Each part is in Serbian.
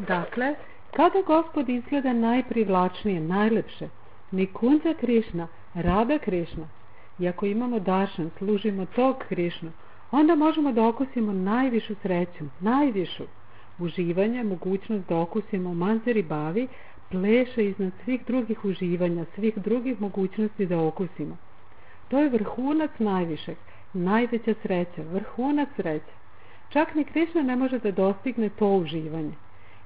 Dakle, kada Gospod izgleda najprivlačnije, najlepše, Nikunja Krišna, Rada Krišna, i ako imamo dašan, služimo tog Krišnu, onda možemo da okusimo najvišu sreću, najvišu. Uživanje, mogućnost da okusimo Manzari Bavi, pleše iznad svih drugih uživanja, svih drugih mogućnosti da okusimo. To je vrhunac najvišeg, najveća sreća, vrhunac sreće. Čak ni Krišna ne može da dostigne to uživanje.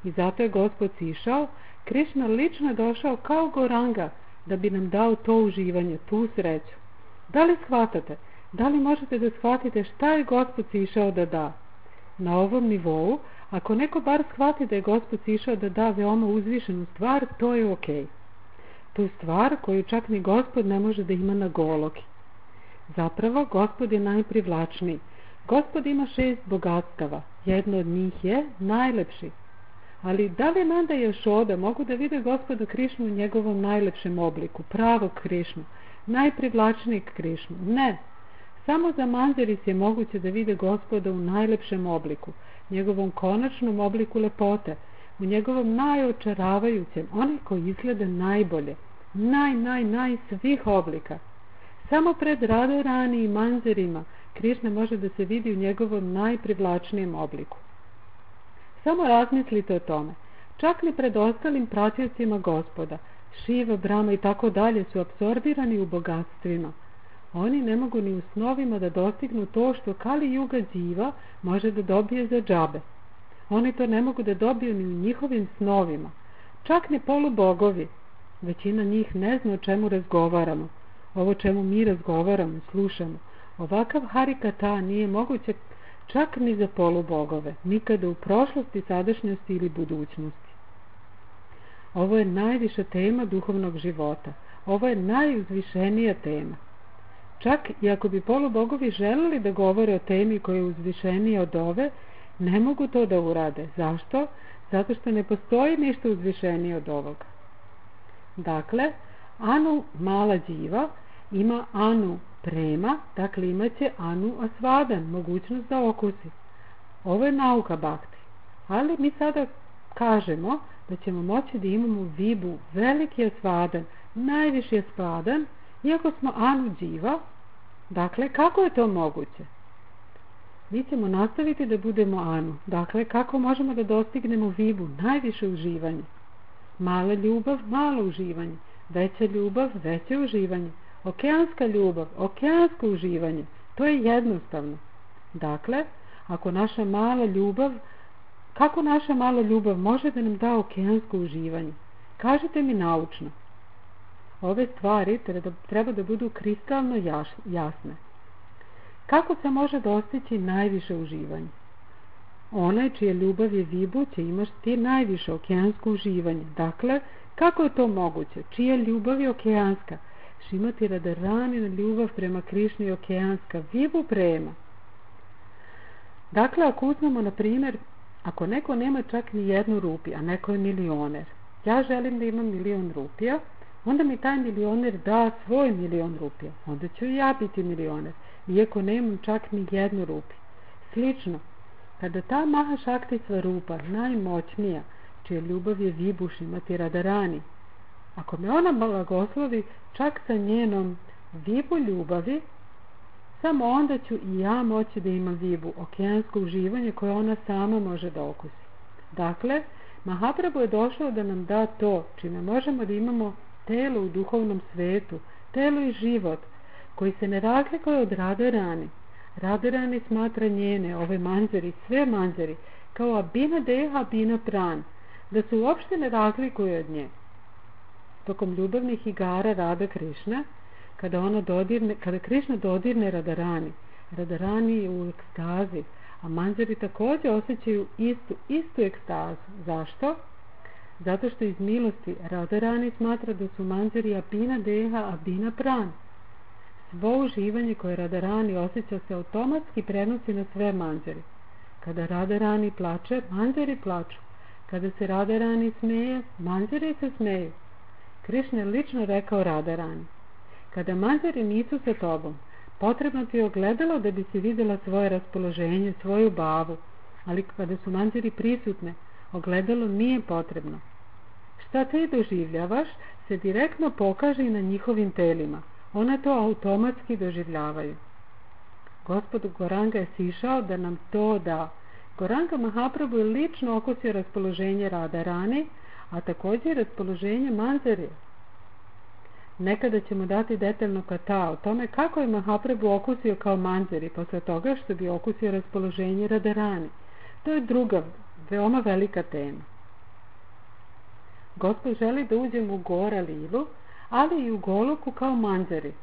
I zato je Gospod sišao, Krišna lično došao kao Goranga da bi nam dao to uživanje, tu sreću. Da li shvatate? Da li možete da shvatite šta je Gospod sišao da da? Na ovom nivou, ako neko bar shvati da je Gospod sišao da da veoma uzvišenu stvar, to je okej. Tu stvar koju čak ni Gospod ne može da ima na goloki. Zapravo, Gospod je najprivlačniji. Gospod ima 6 bogatstava. Jedno od njih je najlepši. Ali da li Nanda i Jošoda mogu da vide Gospoda Krišnu u njegovom najlepšem obliku, pravog Krišnu, najprivlačnijeg Krišnu? Ne. Samo za Manzaris je moguće da vide Gospoda u najlepšem obliku, njegovom konačnom obliku lepote, u njegovom najočaravajućem, onaj koji izgleda najbolje, naj svih oblika. Samo pred Radharani i Manzarima Krišna može da se vidi u njegovom najprivlačnijem obliku. Samo razmislite o tome. Čak ni pred ostalim pratiocima Gospoda, Šiva, Brahma i tako dalje su apsorbirani u bogatstvima. Oni ne mogu ni u snovima da dostignu to što Kali Juga Dživa može da dobije za džabe. Oni to ne mogu da dobiju ni u njihovim snovima. Čak ni polubogovi. Većina njih ne zna o čemu razgovaramo. Ovo čemu mi razgovaramo, slušamo. Ovakav harikata nije moguće čak ni za polubogove, nikada u prošlosti, sadašnjosti ili budućnosti. Ovo je najviša tema duhovnog života. Ovo je najuzvišenija tema. Čak i ako bi polubogovi želeli da govore o temi koja je uzvišenija od ove, ne mogu to da urade. Zašto? Zato što ne postoji ništa uzvišenije od ovoga. Dakle, Anu Mala Dživa ima Anu Prema, dakle imaće Anu Asvadan, mogućnost da okusi. Ovo je nauka Bhakti. Ali mi sada kažemo da ćemo moći da imamo Vibu, veliki Asvadan, najviši Asvadan, iako smo Anu Dživa. Dakle, kako je to moguće? Mi ćemo nastaviti da budemo Anu. Dakle, kako možemo da dostignemo Vibu, najviše uživanje? Mala ljubav, malo uživanje. Veća ljubav, veće uživanje. Okeanska ljubav, okeansko uživanje. To je jednostavno. Dakle, ako naša mala ljubav, kako naša mala ljubav može da nam da okeansko uživanje? Kažite mi naučno. Ove stvari treba da budu kristalno jasne. Kako se može dostići najviše uživanje? Onaj čija ljubav je Vibu će imati najviše okeansko uživanje. Dakle, kako je to moguće? Čija ljubav je okeanska? Šimati Radharanina ljubav prema Krišni je okeanska. Vibu Prema. Dakle, ako uzmemo na primjer, ako neko nema čak ni 1 rupiju, a neko je milioner, ja želim da imam 1.000.000 rupija, onda mi taj milioner da svoj 1.000.000 rupija, onda ću i ja biti milioner, iako nemam čak ni 1 rupiju. Slično, kada ta Maha Šakti Svarupa, najmoćnija, čija ljubav je Vibu Šimati Radharani, ako me ona blagoslovi čak sa njenom Vibu ljubavi, samo onda ću i ja moći da imam Vibu, okeansko uživanje koje ona sama može da okusi. Dakle, Mahaprabhu je došao da nam da to čime možemo da imamo telo u duhovnom svetu, telo i život, koji se ne razlikuje od Radharani. Radharani smatra njene, ove Manzari, sve Manzari, kao Abhina Deha, Abhina Pran, da se uopšte ne razlikuje od nje. Tokom ljubavnih igara Rada Krišna, kada Krišna dodirne Radharani, Radharani je u ekstazi, a Manzari također osjećaju istu ekstazu. Zašto? Zato što iz milosti Radharani smatra da su Manzari Abhina Deha, Abhina Pran. Svo uživanje koje Radharani osjeća se automatski prenosi na sve Manzari. Kada Radharani plače, Manzari plaču. Kada se Radharani smeje, Manzari se smeju. Krišna je lično rekao Radharani: kada Manzari nisu sa tobom, potrebno ti je ogledalo da bi si vidjela svoje raspoloženje, svoju bavu, ali kada su Manzari prisutne, Ogledalo nije potrebno. Šta ti doživljavaš se direktno pokaže i na njihovim telima. One to automatski doživljavaju. Gospod Goranga je sišao da nam to da. Goranga Mahaprabhu je lično okusio raspoloženje Radharani, a također i raspoloženje Manjari. Nekada ćemo dati detaljno kata o tome kako je Mahaprabhu okusio kao Manjari posle toga što bi okusio raspoloženje Radharani. To je druga, veoma velika tema. Gospod želi da uđemo u Gora Lilu, ali i u Goloku kao Manjari.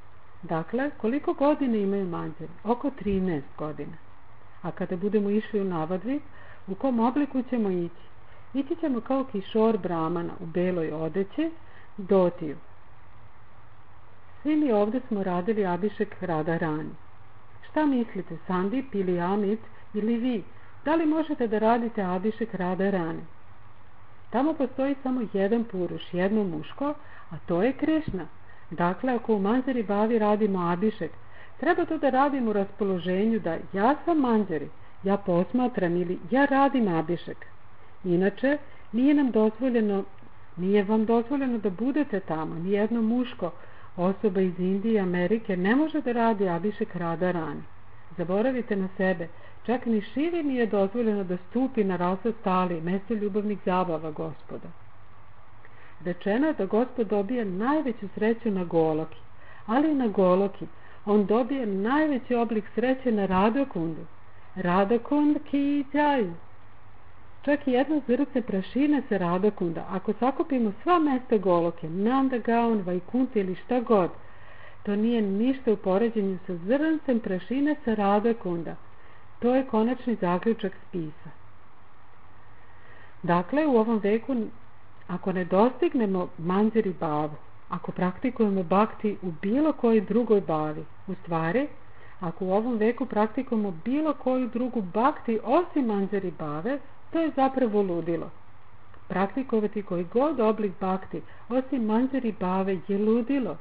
Dakle, koliko godina imaju Manjari? Oko 13 godina. A kada budemo išli u Navadvip, u kom obliku ćemo ići? Ići ćemo kao Kišor Brahmana u beloj odeći, dotiju. Svi mi ovdje smo radili Abhišek Radharani. Šta mislite, Sandip ili Amit ili vi? Da li možete da radite Abhišek Radharani? Tamo postoji samo jedan puruš, jedno muško, a to je Krišna. Dakle, ako u Manjari Bavi radimo Abhišek, treba to da radimo u raspoloženju da ja sam Manjari, ja posmatram ili ja radim Abhišek. Inače, nije vam dozvoljeno da budete tamo, nijedno muško osoba iz Indije i Amerike ne može da radi Abhišek Radharani. Zaboravite na sebe, čak ni Šivi nije dozvoljeno da stupi na Rasa Stali, mesto ljubavnih zabava Gospoda. Rečeno je da Gospod dobije najveću sreću na Goloki, ali i na Goloki on dobije najveći oblik sreće na Radhakundu. Radhakund ki jai. Čak i jedno zrnce prašine se Radhakunda. Ako sakupimo sva mesta Goloke, Nanda Gaon, Vajkunta ili šta god, to nije ništa u poređenju sa zrncem prašine sa Radhakunda. To je konačni zaključak spisa. Dakle, u ovom veku, ako ne dostignemo Manjari Bavu, ako praktikujemo bhakti u bilo kojoj drugoj bavi, u stvari, ako u ovom veku praktikujemo bilo koju drugu bhakti osim Manjari Bave, to je zapravo ludilo. Praktikovati koji god oblik bhakti osim Manjari Bave je ludilo.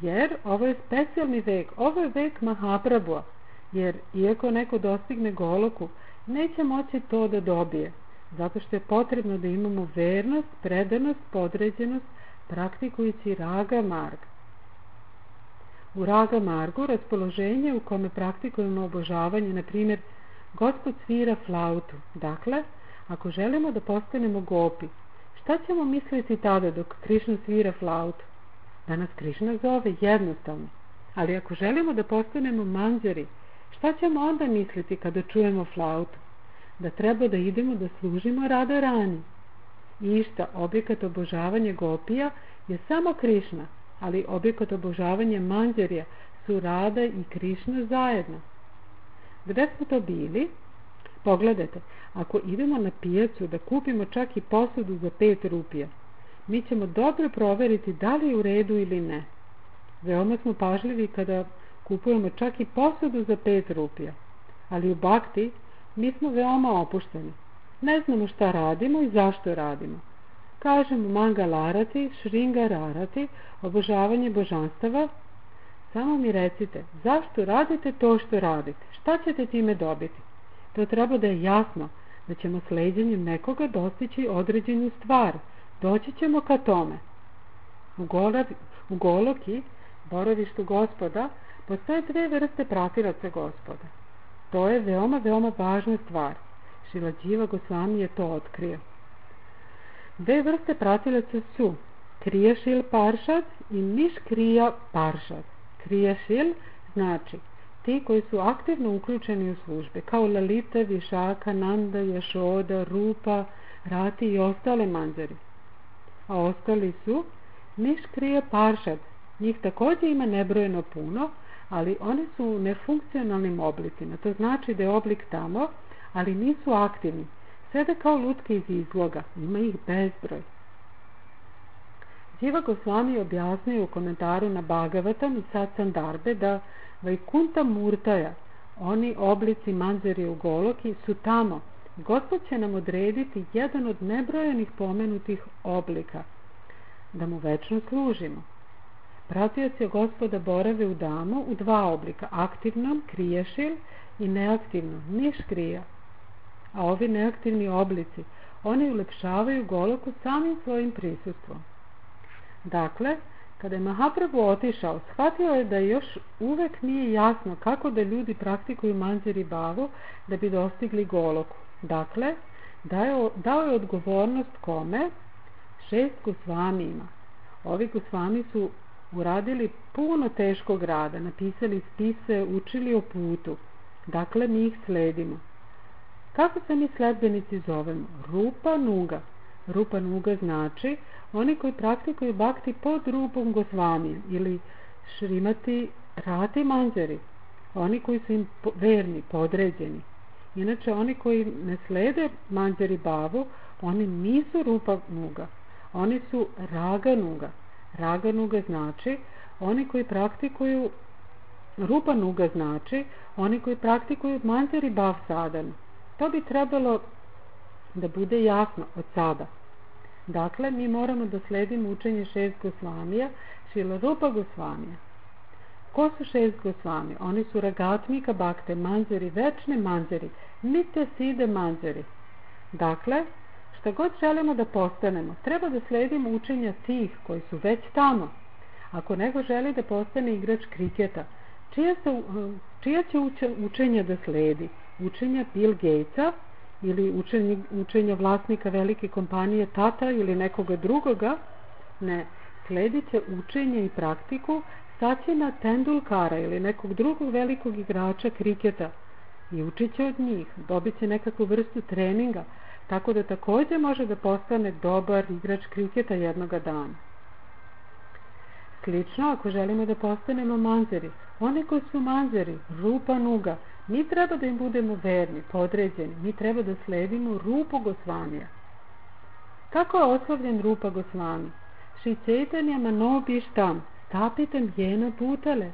Jer ovo je specijalni vek, ovo je vek Mahaprabhua, jer iako neko dostigne Goloku, neće moći to da dobije, zato što je potrebno da imamo vernost, predanost, podređenost, praktikujući Raga Marg. U Raga Margu raspoloženje u kome praktikujemo obožavanje, na primjer, Gospod svira flautu. Dakle, ako želimo da postanemo gopi, šta ćemo misliti tada dok Krišna svira flautu? Da nas Krišna zove, jednostavno. Ali ako želimo da postanemo Manjari, šta ćemo onda misliti kada čujemo flautu? Da treba da idemo da služimo Radharani. Išta, objekat obožavanja gopija je samo Krišna, ali objekat obožavanja Manjarija su Rada i Krišna zajedno. Gde smo to bili? Pogledajte, ako idemo na pijacu da kupimo čak i posudu za 5 rupija, mi ćemo dobro proveriti da li je u redu ili ne. Veoma smo pažljivi kada kupujemo čak i posudu za 5 rupija, ali u bhakti mi smo veoma opušteni. Ne znamo šta radimo i zašto radimo. Kažemo Mangalarati, Šringararati, obožavanje božanstava. Samo mi recite, zašto radite to što radite? Šta ćete time dobiti? To treba da je jasno, da ćemo sleđenjem nekoga dostići određenu stvar. Doći ćemo ka tome. U Goloki, boravištu Gospoda, postoje 2 vrste pratilaca Gospoda. To je veoma, veoma važna stvar. Šiladživa Gosvami je to otkrio. 2 vrste pratilaca su Krijašil Paršad i Niškrija Paršad. Krijašil znači ti koji su aktivno uključeni u službe, kao Lalita, Višaka, Nanda, Jašoda, Rupa, Rati i ostale Manjari. A ostali su Niškrija Paršad. Njih također ima nebrojeno puno, ali oni su u nefunkcionalnim oblicima. To znači da je oblik tamo, ali nisu aktivni. Sede kao lutke iz izloga. Ima ih bezbroj. Dživa Gosvami objasnio u komentaru na Bhagavatam i Satsandarbe da Vajkunta Murtaja, oni oblici Manjari u Goloki, su tamo. Gospod će nam odrediti jedan od nebrojenih pomenutih oblika, da mu večno služimo. Pratioci Gospoda borave u damu u 2 oblika, aktivnom, krijašil, i neaktivnom, niškrija. a ovi neaktivni oblici, oni ulepšavaju Goloku samim svojim prisustvom. Dakle, kada je Mahaprabhu otišao, shvatio je da još uvek nije jasno kako da ljudi praktikuju Manjari Bhavu da bi dostigli Goloku. Dakle, dao je odgovornost kome? 6 Gosvamijima. Ovi Gosvami su uradili puno teškog rada, napisali spise, učili o putu. Dakle, mi ih sledimo. Kako se mi sledbenici zovemo? Rupa Nuga. Rupa Nuga znači oni koji praktikuju bhakti pod Rupom Gosvamijem ili Šrimati Rati Manjari. Oni koji su im verni, podređeni. Inače, oni koji ne slede Manjari Bhavu, oni nisu Rupa Nuga. Oni su Raga Nuga. Raga Nuga znači oni koji praktikuju, Rupa Nuga znači oni koji praktikuju Manjari Bhav sadhanu. To bi trebalo da bude jasno od sada. Dakle, mi moramo da sledimo učenje 6 Gosvamija, Šrila Rupa Gosvamija. Ko su 6 Gosvamija? Oni su Ragatmika Bhakte Manjari, večne Manjari, Nitya Siddha Manjari. Dakle, šta god želimo da postanemo, treba da sledimo učenja tih koji su već tamo. Ako neko želi da postane igrač kriketa, čija će učenja da sledi? Učenja Bill Gatesa ili učenja vlasnika velike kompanije Tata ili nekoga drugoga? Ne, sledit će učenje i praktiku Sacina Tendulkara ili nekog drugog velikog igrača kriketa i učit će od njih, dobit će nekakvu vrstu treninga, tako da također može da postane dobar igrač kriketa jednoga dana. Slično, ako želimo da postanemo Manjari, oni koji su Manjari, Rupa Nuga, mi treba da im budemo verni, podređeni, mi treba da sledimo Rupu Gosvamija. Kako je oslovljen Rupa Gosvami? Šri Chaitanya Manobištam, stapitam jena bhutale.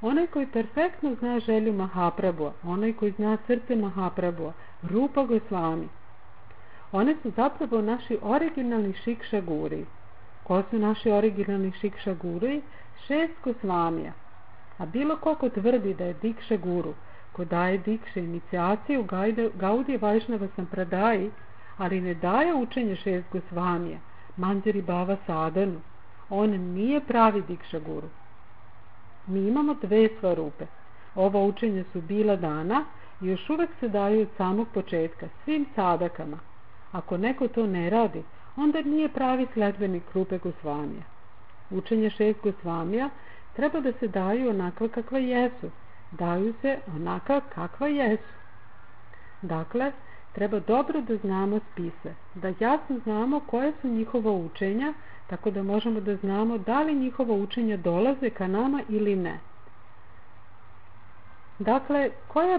Onaj koji perfektno zna želju Mahaprabhua, onaj koji zna srce Mahaprabhua, Rupa Gosvami. One su zapravo naši originalni Šikša Guri. Ko su naši originalni Šikša Guri? 6 Gosvamija. A bilo ko tvrdi da je Dikša Guru, ko daje Dikše inicijaciju Gaudija Vajšnava Sampradaji, ali ne daje učenje 6 Gosvamija, Manjari Bhava sadhanu, on nije pravi Dikša Guru. Mi imamo 2 svarupe. Ova učenja su bila dana i još uvek se daju od samog početka svim sadakama. Ako neko to ne radi, onda nije pravi sledbenik Rupe Gosvamija. Učenje 6 Gosvamija treba da se daju onakva kakva jesu. Daju se onaka kakva jesu. Dakle, treba dobro da znamo spise, da jasno znamo koje su njihova učenja, tako da možemo da znamo da li njihova učenja dolaze ka nama ili ne. Dakle, koje je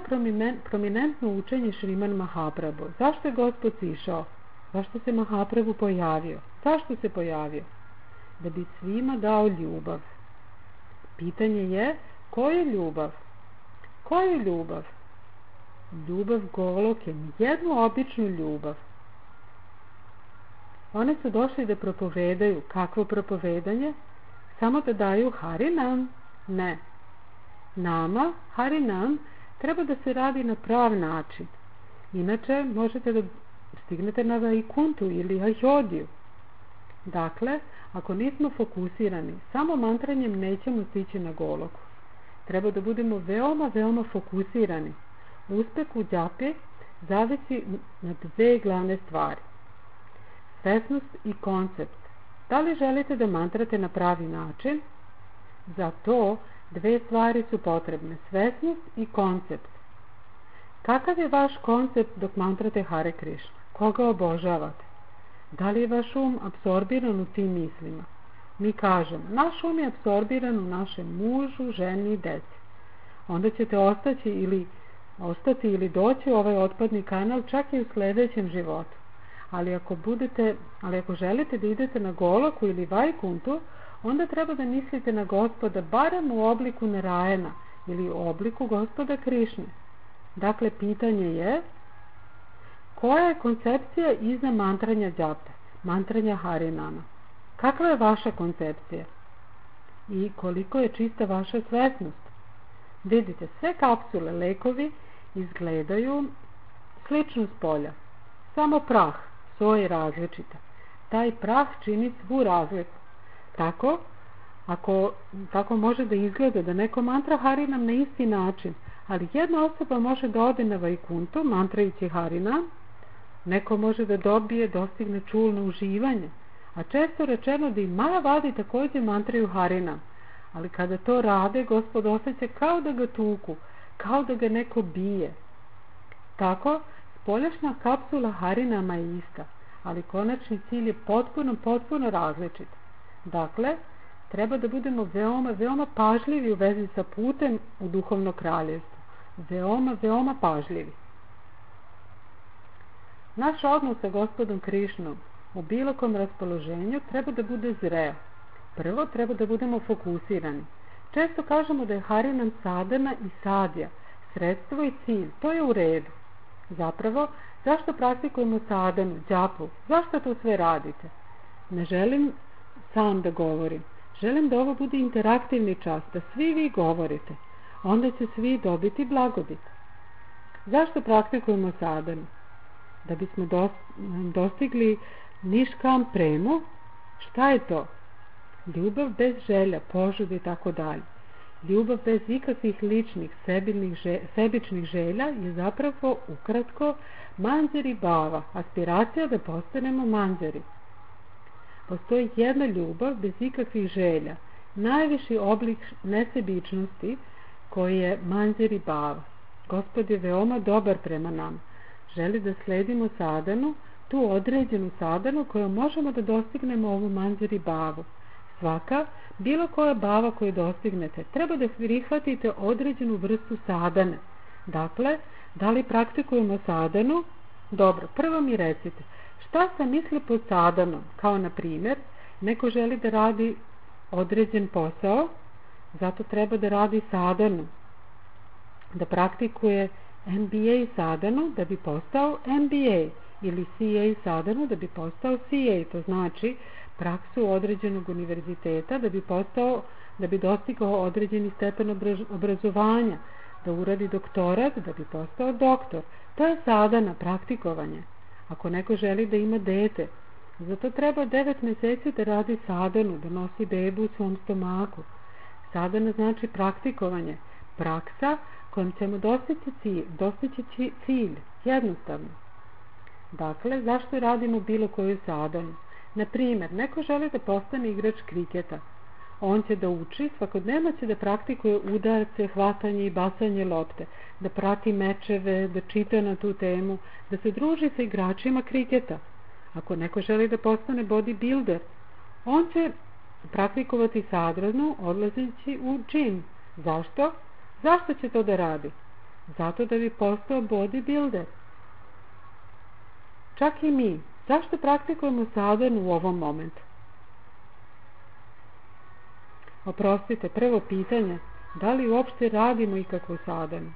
prominentno učenje Šriman Mahaprabhu? Zašto je Gospod sišao? Zašto se Mahaprabhu pojavio? Zašto se pojavio? Da bi svima dao ljubav. Pitanje je, koja je ljubav? Koja je ljubav? Ljubav Goloke, jednu običnu ljubav. One su došli da propovedaju. Kakvo propovedanje? Samo da daju Harinam? Ne. Nama, Harinam, treba da se radi na prav način. Inače, možete da stignete na Vaikuntu ili Ajodiju. Dakle, ako nismo fokusirani, samo mantranjem nećemo stići na Goloku. Treba da budemo veoma, veoma fokusirani. Uspeh u džapi zavisi na 2 glavne stvari. Svesnost i koncept. Da li želite da mantrate na pravi način? Za to 2 stvari su potrebne. Svesnost i koncept. Kakav je vaš koncept dok mantrate Hare Krishna? Koga obožavate? Da li je vaš apsorbiran u tim mislima? Mi kažemo, naš je apsorbiran u našem mužu, ženi i deci. Onda ćete ostati ili doći u ovaj otpadni kanal čak i u sljedećem životu. Ali ako želite da idete na Goloku ili Vaikuntu, onda treba da mislite na Gospoda barem u obliku Narayana ili u obliku Gospoda Krišne. Dakle, pitanje je, koja je koncepcija iza mantranja džape, mantranja Harinama? Kakva je vaša koncepcija? I koliko je čista vaša svesnost? Vidite, sve kapsule, lekovi izgledaju slično s polja. Samo prah, soja je različita. Taj prah čini svu razliku. Tako može da izgleda da neko mantra Harinam na isti način, ali jedna osoba može da ode na Vajkuntu mantrajući Harinam, neko može da dostigne čulno uživanje, a često rečeno da i Majavadi također mantraju Harinam, ali kada to rade, Gospod osjeća kao da ga tuku, kao da ga neko bije. Tako, spoljašnja kapsula Harinama je ista, ali konačni cilj je potpuno različit. Dakle, treba da budemo veoma pažljivi u vezi sa putem u duhovno kraljevstvo. Veoma pažljivi. Naš odnos sa Gospodom Krišnom u bilo kom raspoloženju treba da bude zreo. Prvo, treba da budemo fokusirani. Često kažemo da je Harinam sadana i sadja, sredstvo i cilj. To je u redu. Zapravo, zašto praktikujemo sadanu, džapu? Zašto to sve radite? Ne želim sam da govorim. Želim da ovo bude interaktivni čas, da svi vi govorite. Onda će svi dobiti blagodat. Zašto praktikujemo sadanu? Da bismo dostigli niškam premu. Šta je to? Ljubav bez želja, požude i tako dalje. Ljubav bez ikakvih ličnih, sebičnih želja je zapravo ukratko manđari bava, aspiracija da postanemo manđari. Postoji jedna ljubav bez ikakvih želja, najviši oblik nesebičnosti koji je manđari bava. Gospod je veoma dobar prema nam. Želi da sledimo sadanu, tu određenu sadanu kojom možemo da dostignemo ovu manđari bavu. Bilo koja bava koju dostignete, treba da prihvatite određenu vrstu sadane. Dakle, da li praktikujemo sadanu? Dobro, prvo mi recite, šta sam misli pod sadanom? Kao na primjer, neko želi da radi određen posao, zato treba da radi sadanu, da praktikuje MBA sadanu da bi postao MBA ili CA sadanu da bi postao CA, to znači praksu određenog univerziteta da bi dostigao određeni stepen obrazovanja, da uradi doktorat da bi postao doktor. To je sadana, praktikovanje. Ako neko želi da ima dete, zato treba 9 mjeseci da radi sadanu, da nosi bebu u svom stomaku. Sadana znači praktikovanje, praksa kojom ćemo dostići cilj, jednostavno. Dakle, zašto radimo bilo koju sadanu? Na primjer, neko želi da postane igrač kriketa. On će da uči, svakodnevno će da praktikuje udarce, hvatanje i bacanje lopte, da prati mečeve, da čita na tu temu, da se druži sa igračima kriketa. Ako neko želi da postane bodybuilder, on će praktikovati sadanu odlazeći u džim. Zašto? Zašto će to da radi? Zato da bi postao bodybuilder. Čak i mi. Zašto praktikujemo sadanu u ovom momentu? Oprostite, prvo pitanje, da li uopšte radimo ikakvu sadanu?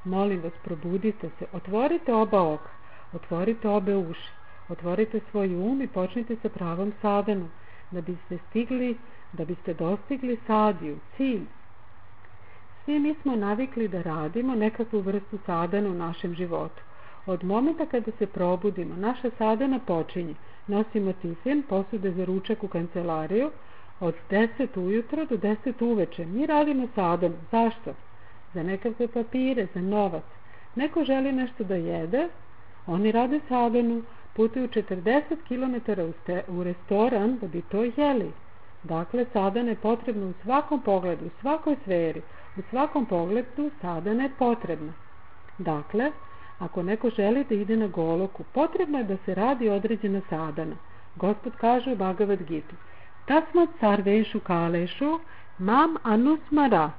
Molim vas, probudite se, otvorite oba oka, otvorite obe uši, otvorite svoj um i počnite sa pravom sadanu, da biste dostigli sadiju, cilj. Svi mi smo navikli da radimo nekakvu vrstu sadanu u našem životu. Od momenta kada se probudimo, naša sadana počinje. Nosimo tifin, posude za ručak u kancelariju, od 10 ujutro do 10 uveče. Mi radimo sadanu. Zašto? Za nekakve papire, za novac. Neko želi nešto da jede, oni rade sadanu, putuju 40 km u restoran da bi to jeli. Dakle, sadana je potrebna u svakom pogledu, u svakoj sferi. U svakom pogledu sadana je potrebna. Dakle, ako neko želi da ide na Goloku, potrebno je da se radi određena sadana. Gospod kaže u Bhagavad Gita: Tasmat sarvešu kalešu mam anusmara.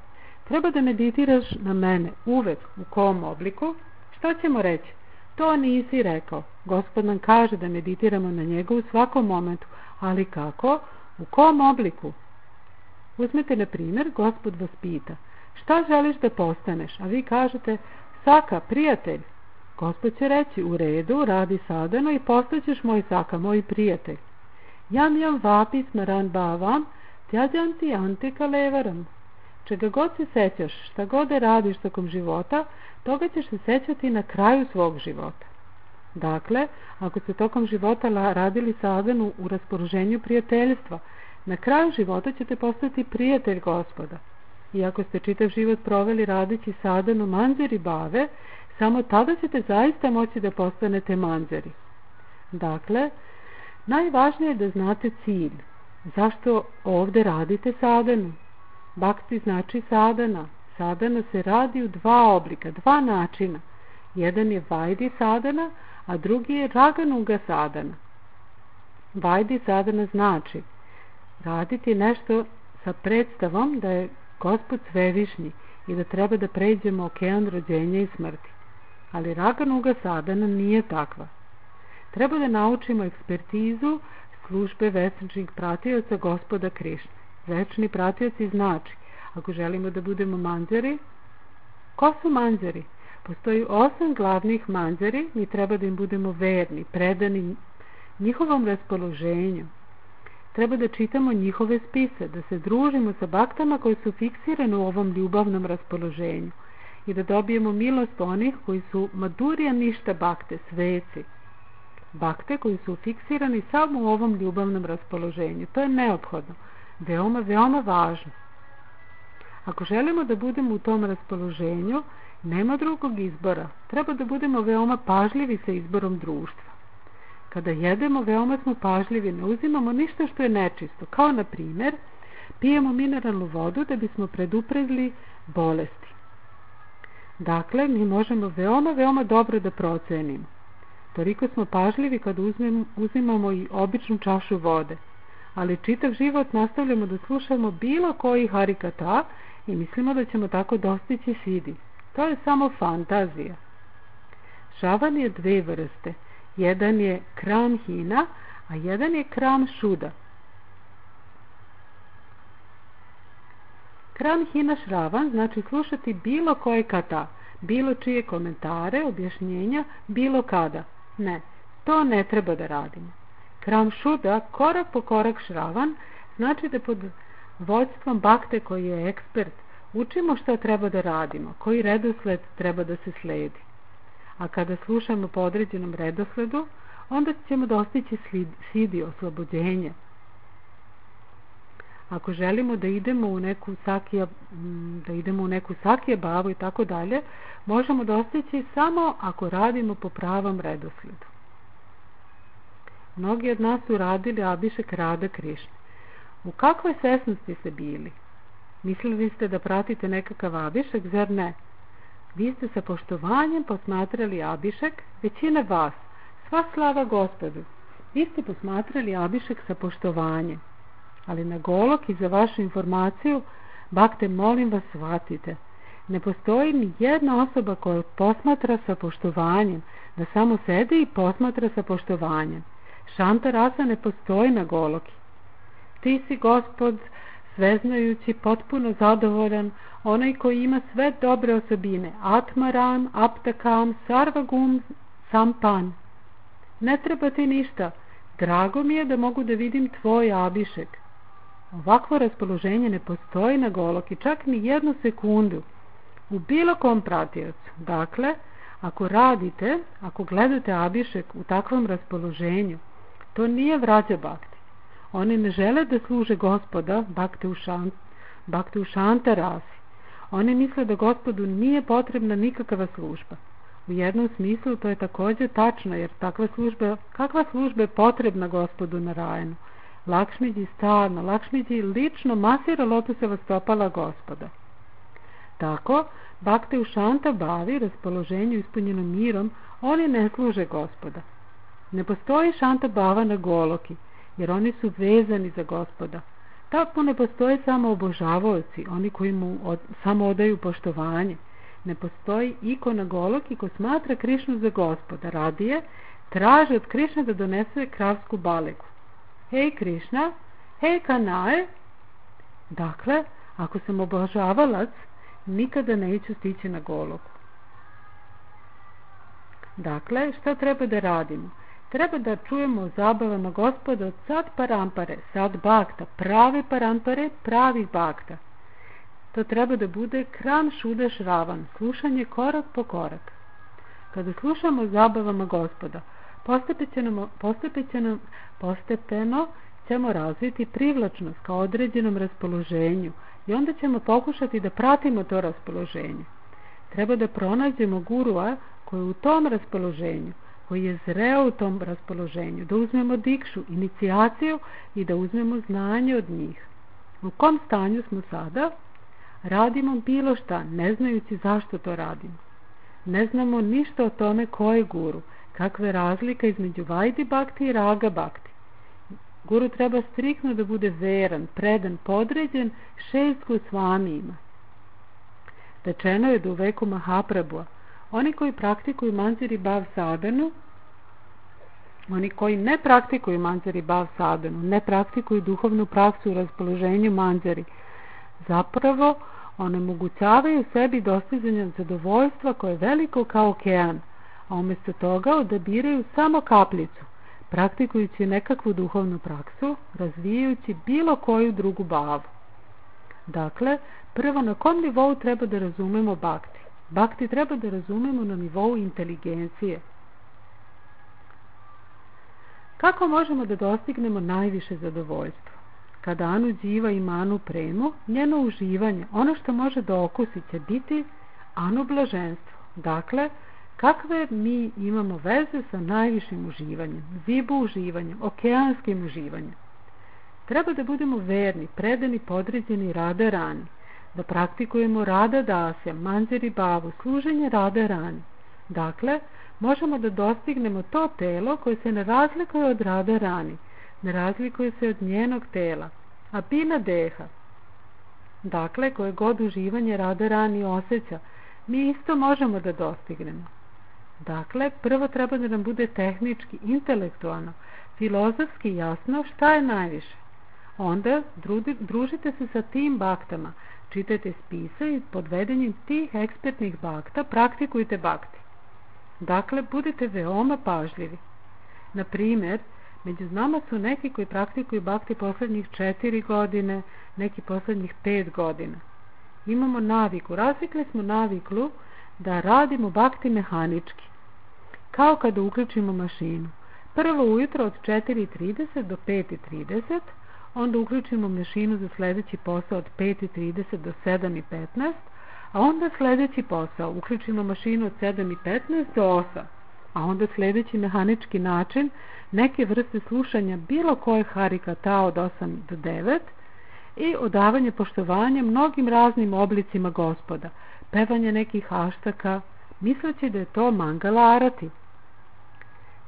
Treba da meditiraš na mene uvek. U kom obliku? Šta ćemo reći? To nisi rekao. Gospod nam kaže da meditiramo na njega u svakom momentu. Ali kako? U kom obliku? Uzmite na primjer, Gospod vas pita: šta želiš da postaneš? A vi kažete: Saka, prijatelj. Gospod će reći: u redu, radi sadano i postaćeš moj Saka, moj prijatelj. Jam vapi smaran bavam, tjađanti antika levaram. Čega god se sećaš, šta god da radiš tokom života, toga ćeš se sećati na kraju svog života. Dakle, ako ste tokom života radili sadhanu u raspoloženju prijateljstva, na kraju života ćete postati prijatelj Gospoda. I ako ste čitav život proveli radeći sadhanu manjari bave, samo tada ćete zaista moći da postanete manjari. Dakle, najvažnije je da znate cilj. Zašto ovdje radite sadhanu? Bhakti znači sadhana. Sadhana se radi u dva oblika, dva načina. Jedan je vajdi sadhana, a drugi je raganuga sadhana. Vajdi sadhana znači raditi nešto sa predstavom da je Gospod svevišnji i da treba da pređemo okean rođenja i smrti. Ali raganuga sadhana nije takva. Treba da naučimo ekspertizu službe večnih pratioca Gospoda Krišne. Večni pratioci znači, ako želimo da budemo manjari, ko su manjari? Postoji 8 glavnih manjari, mi treba da im budemo verni, predani njihovom raspoloženju. Treba da čitamo njihove spise, da se družimo sa baktama koji su fiksirani u ovom ljubavnom raspoloženju i da dobijemo milost onih koji su madurija ništa bakte, sveci. Bakte koji su fiksirani samo u ovom ljubavnom raspoloženju. To je neophodno, veoma, veoma važno. Ako želimo da budemo u tom raspoloženju, nema drugog izbora. Treba da budemo veoma pažljivi sa izborom društva. Kada jedemo, veoma smo pažljivi, ne uzimamo ništa što je nečisto. Kao na primjer, pijemo mineralnu vodu da bismo preduprezli bolesti. Dakle, mi možemo veoma, veoma dobro da procenimo. Toliko smo pažljivi kada uzimamo i običnu čašu vode. Ali čitav život nastavljamo da slušamo bilo koji harikata i mislimo da ćemo tako dostići sidi. To je samo fantazija. Šravan je dve vrste. Jedan je kram hina, a jedan je kram šuda. Kram hina šravan znači slušati bilo koje kata, bilo čije komentare, objašnjenja, bilo kada. Ne, to ne treba da radimo. Kram šuda, korak po korak šravan, znači da pod vođstvom bakte koji je ekspert učimo šta treba da radimo, koji redosled treba da se sledi. A kada slušamo po određenom redosledu, onda ćemo dostići sidi, oslobođenje. Ako želimo da idemo u neku sakija bavu i tako dalje, možemo dostići samo ako radimo po pravom redosledu. Mnogi od nas su radili Abhišek Rada Krišne. U kakvoj svesnosti ste bili? Mislili ste da pratite nekakav Abhišek, zar ne? Vi ste sa poštovanjem posmatrali Abhišek, većina vas, sva slava Gospodu. Vi ste posmatrali Abhišek sa poštovanjem. Ali na Golok i za vašu informaciju, bakte, molim vas, shvatite. Ne postoji ni jedna osoba koja posmatra sa poštovanjem, da samo sedi i posmatra sa poštovanjem. Šanta rasa ne postoji na Goloki. Ti si Gospod, sveznajući, potpuno zadovoljan, onaj koji ima sve dobre osobine, Atmaram, Aptakam, Sarvagum, Sampan. Ne treba ti ništa, drago mi je da mogu da vidim tvoj Abhišek. Ovakvo raspoloženje ne postoji na Goloki, čak ni jednu sekundu, u bilo kom pratiocu. Dakle, ako radite, ako gledate Abhišek u takvom raspoloženju, to nije vrađa bakti. Oni ne žele da služe Gospoda, bakte u šanta rasi. Oni misle da Gospodu nije potrebna nikakva služba. U jednom smislu to je također tačno, jer kakva služba je potrebna Gospodu Narajanu? Lakšmidži stalno, Lakšmidži lično masira lotoseva stopala Gospoda. Tako, bakte u šanta bavi, raspoloženju ispunjeno mirom, oni ne služe Gospoda. Ne postoji šanta bava na Goloki, jer oni su vezani za Gospoda. Tako ne postoje samo obožavaoci, oni koji mu samo odaju poštovanje. Ne postoji iko na Goloki ko smatra Krišnu za Gospoda. Radije traže od Krišne da donese kravsku balegu. Hej Krišna, hej Kanae. Dakle, ako sam obožavalac, nikada neću stići na Goloku. Dakle, šta treba da radimo? Treba da čujemo o zabavama Gospoda od sad parampare, sad bakta, prave parampare, pravih bakta. To treba da bude kram šuda šravan, slušanje korak po korak. Kada slušamo o zabavama Gospoda, postepeno ćemo razviti privlačnost ka određenom raspoloženju i onda ćemo pokušati da pratimo to raspoloženje. Treba da pronađemo gurua koji je u tom raspoloženju, koji je zreo u tom raspoloženju, da uzmemo dikšu, inicijaciju i da uzmemo znanje od njih. U kom stanju smo sada? Radimo bilo šta, ne znajući zašto to radimo. Ne znamo ništa o tome ko je guru, kakva je razlika između Vajdi Bhakti i Raga Bhakti. Guru treba striktno da bude veran, predan, podređen 6 Gosvamijima. Rečeno je da u veku Mahaprabhua oni koji praktikuju Manjari Bhav sadhanu, oni koji ne praktikuju Manjari Bhav sadhanu, ne praktikuju duhovnu praksu u raspoloženju Manjari, zapravo onemogućavaju sebi dostizanje zadovoljstva koje je veliko kao okean, a umjesto toga odabiraju samo kapljicu, praktikujući nekakvu duhovnu praksu, razvijajući bilo koju drugu bavu. Dakle, prvo na kom nivou treba da razumemo bhakti? Bhakti treba da razumemo na nivou inteligencije. Kako možemo da dostignemo najviše zadovoljstvo? Kada Anu Dživa ima Anu premu, njeno uživanje, ono što može da okusi će biti Anu blaženstvo. Dakle, kakve mi imamo veze sa najvišim uživanjem, vibu uživanjem, okeanskim uživanjem? Treba da budemo verni, predani, podređeni Rada Rani, da praktikujemo Rada Dasya, Manjari Bhavu, služenje Rada Rani. Dakle, možemo da dostignemo to telo koje se ne razlikuje od Rada Rani, ne razlikuje se od njenog tela, a bina deha. Dakle, koje god uživanje Rada Rani osjeća, mi isto možemo da dostignemo. Dakle, prvo treba da nam bude tehnički, intelektualno, filozofski jasno šta je najviše. Onda družite se sa tim baktama, čitajte spise i pod vedenjem tih ekspertnih bakta praktikujte bakti. Dakle, budite veoma pažljivi. Na primjer, među nama su neki koji praktikuju bakti poslednjih 4 godine, neki poslednjih 5 godina. Imamo naviku, razvikli smo naviku da radimo bakti mehanički, kao kada uključimo mašinu. Prvo ujutro od 4:30 do 5:30, onda uključimo mašinu za sljedeći posao od 5:30 do 7:15, a onda sljedeći posao, uključimo mašinu od 7:15 do 8, a onda sljedeći mehanički način, neke vrste slušanja bilo koje harikata od 8 do 9 i odavanje poštovanja mnogim raznim oblicima Gospoda, pevanje nekih aštaka, misleći da je to mangala arati.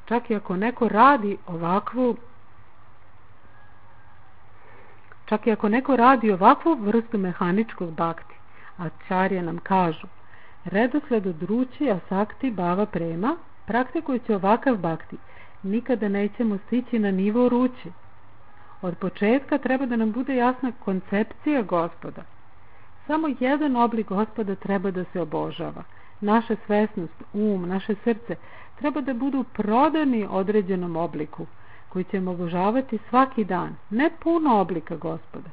Čak i ako neko radi ovakvu vrstu mehaničkog bakti, acharya nam kažu, redosled od ruči, asakti, bhava prema, praktikujući ovakav bakti, nikada nećemo stići na nivo ruči. Od početka treba da nam bude jasna koncepcija Gospoda. Samo jedan oblik Gospoda treba da se obožava. Naša svesnost, naše srce treba da budu prodani određenom obliku, koji ćemo obožavati svaki dan, ne puno oblika Gospoda.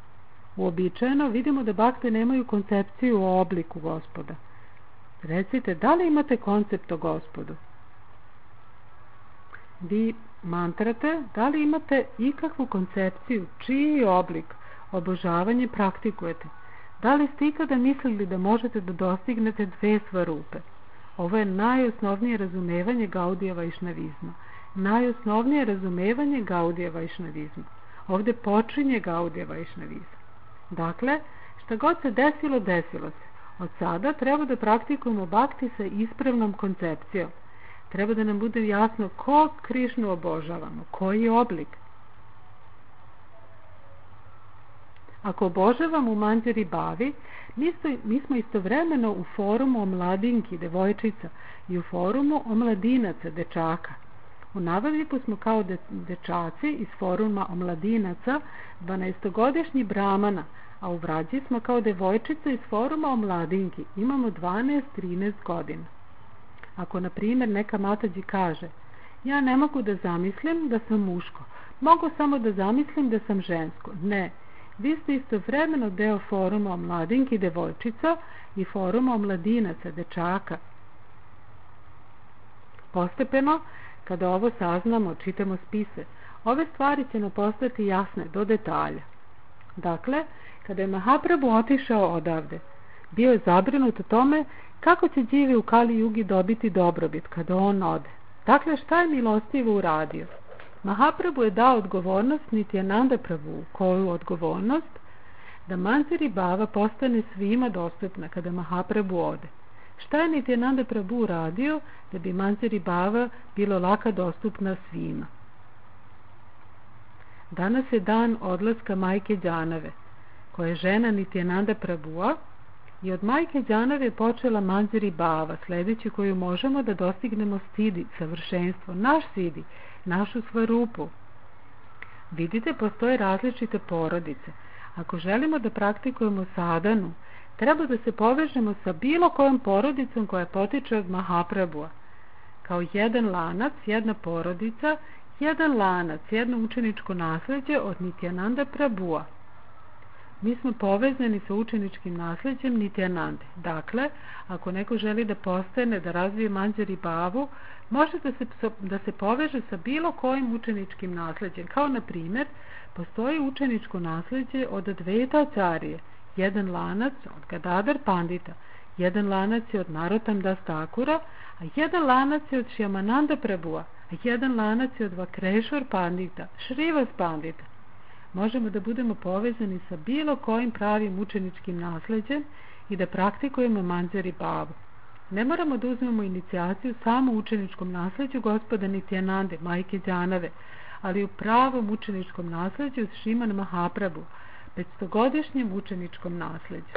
Uobičajeno vidimo da bakte nemaju koncepciju o obliku Gospoda. Recite, da li imate koncept o Gospodu? Vi mantrate, da li imate ikakvu koncepciju, čiji oblik obožavanje praktikujete? Da li ste ikada mislili da možete da dostignete 2 svarupe? Ovo je najosnovnije razumevanje Gaudija Vajšnavizma. Najosnovnije razumevanje Gaudija Vajšnavizma. Ovdje počinje Gaudija Vajšnavizma. Dakle, šta god se desilo, desilo se. Od sada treba da praktikujemo bakti sa ispravnom koncepcijom. Treba da nam bude jasno ko Krišnu obožavamo, koji je oblik. Ako obožavamo u Manjari Bhavi, mi smo istovremeno u forumu o mladinki, devojčica, i u forumu o mladinaca, dečaka. U Navadvipu smo kao dečaci iz foruma o mladinaca, 12-godišnji brahmana, a u Vrađi smo kao devojčica iz foruma o mladinki, imamo 12-13 godina. Ako, na primjer, neka matađi kaže, ja ne mogu da zamislim da sam muško, mogu samo da zamislim da sam žensko. Ne, vi ste istovremeno deo foruma o mladinki, devojčica i foruma o mladinaca, dečaka. Postepeno, kada ovo saznamo, čitamo spise, ove stvari će nam postati jasne do detalja. Dakle, kada je Mahaprabhu otišao odavde, bio je zabrinut o tome kako će živi u Kali Jugi dobiti dobrobit kada on ode. Dakle, šta je milostivo uradio? Mahaprabhu je dao odgovornost Nityananda Prabhu, koju odgovornost? Da Manjari Bava postane svima dostupna kada Mahaprabhu ode. Šta je Nityananda Prabhu uradio da bi Manjari Bava bilo laka dostupna svima? Danas je dan odlaska majke Đanave, koja je žena Nityananda Prabhua, i od majke Đanave je počela Manjari Bava, sljedeći koju možemo da dostignemo stidi, savršenstvo, naš sidi, našu svarupu. Vidite, postoje različite porodice. Ako želimo da praktikujemo sadhanu, treba da se povežemo sa bilo kojom porodicom koja potiče od Mahaprabhua. Kao jedan lanac, jedna porodica, jedan lanac, jedno učeničko nasleđe od Nityananda Prabhua. Mi smo povezani sa učeničkim nasleđem Nityanande. Dakle, ako neko želi da postane, da razvije Manjari Bavu, može da se poveže sa bilo kojim učeničkim nasleđem. Kao na primjer, postoji učeničko nasleđe od Advaita Acharye, jedan lanac od Gadadhar Pandita, jedan lanac je od Narottam Das Thakura, a jedan lanac je od Shyamananda Prabhua, a jedan lanac je od Vakreshwar Pandita, Shrivas Pandita. Možemo da budemo povezani sa bilo kojim pravim učeničkim nasleđem i da praktikujemo Manjari Bavu. Ne moramo da uzmemo inicijaciju samo u učeničkom nasleđu Gospoda Nityanande, majke Đanave, ali u pravom učeničkom nasleđu Sriman Mahaprabhu, 500-godišnjem učeničkom nasleđu.